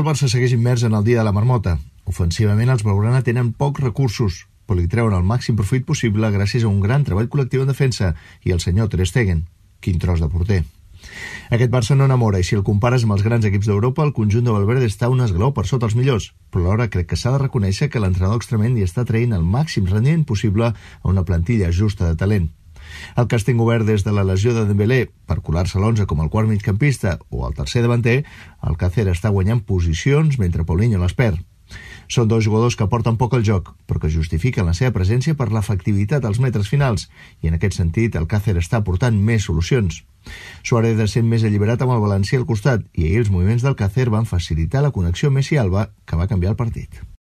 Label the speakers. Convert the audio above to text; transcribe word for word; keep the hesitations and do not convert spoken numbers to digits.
Speaker 1: El Barça segueix immers en el dia de la marmota. Ofensivament, els blaugrana tenen pocs recursos, però li treuen el màxim profit possible gràcies a un gran treball col·lectiu en defensa i el senyor Ter Stegen. Quin tros de porter. Aquest Barça no enamora i si el compares amb els grans equips d'Europa, el conjunt de Valverde està un esglaó per sota els millors, però alhora crec que s'ha de reconèixer que l'entrenador extremeny hi està traient el màxim rendiment possible a una plantilla justa de talent. El càsting obert des de la lesió de Dembélé per colar-se a l'onze com el quart migcampista o el tercer davanter, el Càcer està guanyant posicions mentre Paulinho les perd. Són dos jugadors que aporten poc al joc, però que justifiquen la seva presència per l'efectivitat als metres finals, i en aquest sentit el Càcer està aportant més solucions. Suárez ha sent més alliberat amb el València al costat, i ahir els moviments del Càcer van facilitar la connexió Messi-Alba, que va canviar el partit.